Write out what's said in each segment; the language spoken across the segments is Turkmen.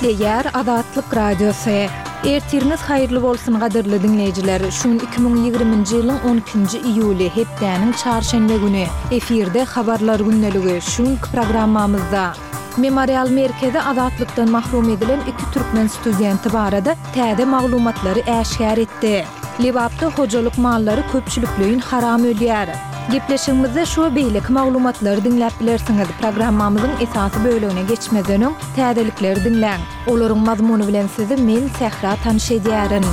Gepleýär Azatlyk Radiosy. Ertiriňiz haýyrly bolsun gadyrly diňleýjiler! Şu gün 2020-nji ýylyň on ikinji iýuly, hepdäniň çarşenbe güni. Efirde Habarlar gündeligi. Şu günki programmamyzda. Memorial merkezi azatlykdan mahrum edilen iki türkmen studenti barada täze maglumatlary äşgär etdi. Lebapda hojalyk mallary köpçülikleýin haram ölýär. Gepleşigimizde şu we beýleki maglumatlary diňläp bilersiňiz. Programmamyzyň esasy bölegine geçmezden öň, täzelikleri diňläň. Olaryň mazmuny bilen sizi men, Sähra tanyş edýärin.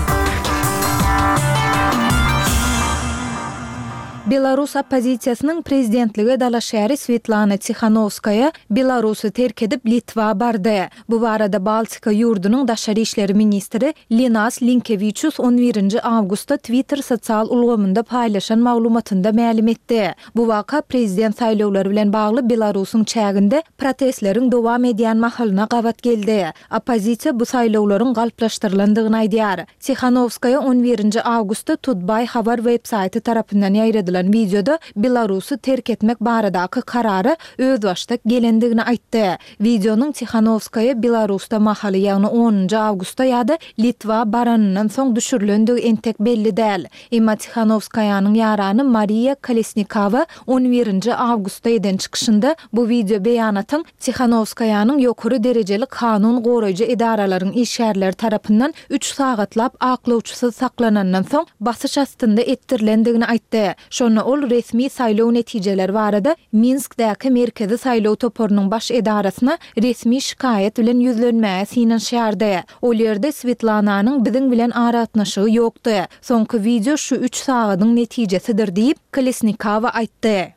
Belarus oppozisiýasynyň prezidentlige dalaşgäri Swetlana Tihanowskaýa Belarusy terk edip Litwa bardy. Bu barada Baltika ýurdunyň daşary işleri ministri Linas Linkewiçus on birinji awgustda Twitter sosial ulgamynda paýlaşan maglumatynda mälim etdi. Bu waka prezident saýlawlary bilen bagly Belarusyň çäginde protestleriň dowam edýän mahalyna gabat geldi. Oppozisiýa bu saýlawlaryň galplaşdyrylandygyny aýdýar. Tihanowskaýa on birinji awgustda Tutbay habar web-saýty tarapyndan ýaýradylan wideoda Belarusy terk etmek baradaky karara özbaşdak gelendigini aýtdy. Wideonyň Tihanowskaýa Belarusda mahaly, ýagny onunjy awgustda ýa-da Litwa baranyndan soň düşürilendigi entek belli däl. Emma Tihanowskaýanyň ýarany Mariýa Kolesnikawa on birinji awgustda eden çykyşynda bu wideo beýanatyň Tihanowskaýanyň ýokary derejeli kanun goraýjy edaralaryň işgärleri tarapyndan üç sagatlap aklawçysyz saklanandan soň basyş astynda etdirilendigini aýtdy. Şonda ol resmi saýlaw netijeleri barada Minskdäki Merkezi saýlaw toparynyň baş edarasyna resmi şikaýat bilen ýüzlenmäge synanyşýardy. Ol ýerde Swetlananyň biziň bilen aragatnaşygy ýokdy. Soňky wideo şu üç sagadyň netijesidir diýip, Kolesnikawa aýtdy.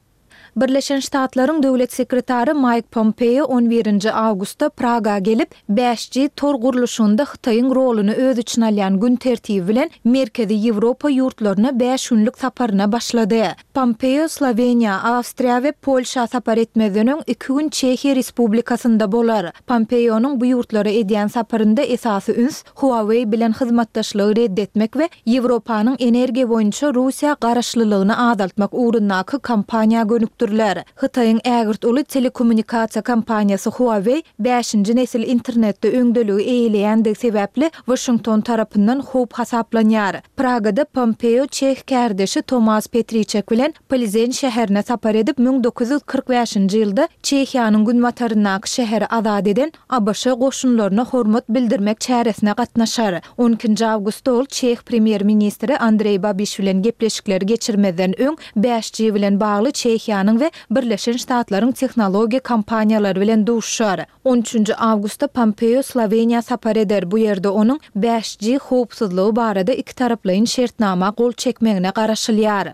Birleşen Ştatlaryň Döwlet sekretary Maýk Pompeo on birinji awgustda Praga gelip, bäş G tor gurluşygynda Hytaýyň roluny öz içine alýan gün tertibi bilen Merkezi Ýewropa ýurtlaryna bäş günlük saparyna başlady. Pompeo Sloweniýa, Awstriýa we Polşa sapar etmezden öň iki gün Çehiýa Respublikasynda bolar. Pompeonyň bu ýurtlara edýän saparynda esasy üns Huawei bilen hyzmatdaşlygy red etmek we Ýewropanyň energiýa boýunça Russiýa garaşlylygyny azaltmak ugrundaky kampaniýa gönükdiriler. Hytaýyň ägirt uly telekommunikasiýa kompaniýasy Huawei bäşinji nesil internetde öňdeligi eýeleýändigi sebäpli Waşington tarapyndan howp hasaplanýar. Pragada Pompeo çeh kärdeşi Tomas Petriçek bilen Plzen şäherine sapar edip, 1945-nji ýylda Çehiýanyň günbataryndaky şäheri azat eden ABŞ goşunlaryna hormat bildirmek çäresine gatnaşar. On ikinji awgustda ol çeh premýer-ministri Andreý Babiş bilen gepleşikleri geçirmezden öň bäş G bilen bagly Çehiýanyň we Birleşen Ştatlaryň tehnologiýa kompaniýalary bilen duşuşar. On üçünji awgustda Pompeo Sloweniýa sapar eder, bu ýerde onuň bäş G howpsuzlygy barada ikitaraplaýyn şertnama gol çekmegine garaşylýar.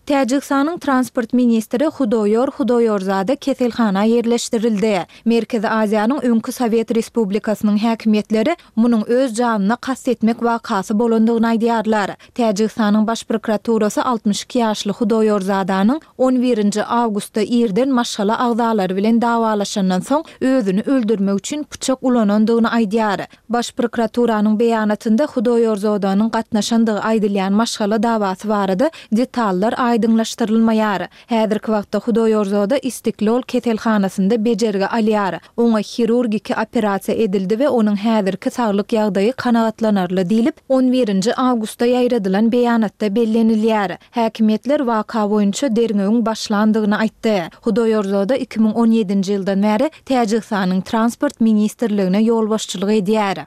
Täjigistanyň transport ministri Hudoýor Hudoýorzada keselhana ýerleşdirildi. Merkezi Aziýanyň öňki sowet respublikasynyň häkimiýetleri munuň öz janyna kast etmek wakasy bolandygyny aýdýarlar. Täjigistanyň Baş prokuraturasy 62 ýaşly Hudoýorzadanyň on birinji awgustda irden maşgala agzalary bilen dawalaşandan soň özüni öldürmek üçin pyçak ulanandygyny aýdýar. Baş prokuraturanyň beýanatynda Hudoýorzodanyň gatnaşandygy aýdylýan maşgala dawasy barada detallar aýdyňlaşdyrylmaýar. Häzirki wagtda Hudoýorzoda Istiklol keselhanasynda bejergi alýar. Oňa hirurgiki operasiýa edildi we onuň häzirki saglyk ýagdaýy kanagatlanarly diýlip, on birinji awgustda ýaýradylan beýanatda bellenilýär. Häkimiýetler waka boýunça derňewiň başlandygyny aýtdy. Hudoýorzoda 2017-nji ýyldan bäri Täjigistanyň Transport ministrligine ýolbaşçylyk edýär.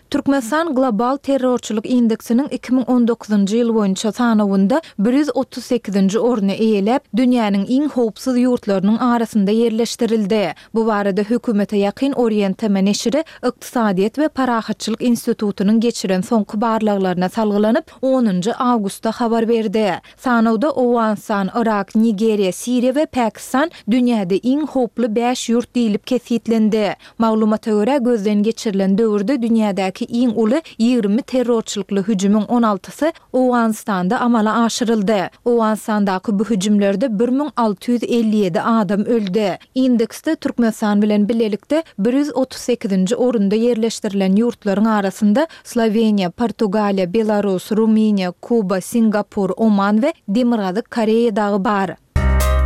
Türkmenistan Global terrorçylyk indeksiniň 2019-njy ýyl boýunça sanawynda 138-nji orny eýeläp, dünýäniň iň howpsuz ýurtlarynyň arasynda ýerleşdirildi. Bu barada hökümete ýakyn Orient TM neşiri Ykdysadyýet we parahatçylyk institutynyň geçiren soňky barlaglaryna salgylanyp, onunjy awgustda habar berdi. Sanawda Owganystan, Yrak, Nigeriýa, Siriýa we Pakistan dünýäde iň howply bäş ýurt diýlip kesgitlendi. Maglumata görä, gözden geçirilen döwürde dünýädäki iň uly 20 terrorçylykly hüjümiň on altysy Owganystanda amala aşyryldy. Owganystandaky bu hüjümlerde 1657 adam öldi. Indeksde Türkmenistan bilen bilelikde 138-nji orunda ýerleşdirilen ýurtlaryň arasynda Sloweniýa, Portugaliýa, Belarus, Rumyniýa, Kuba, Singapur, Oman we Demirgazyk Koreýa dagy bar.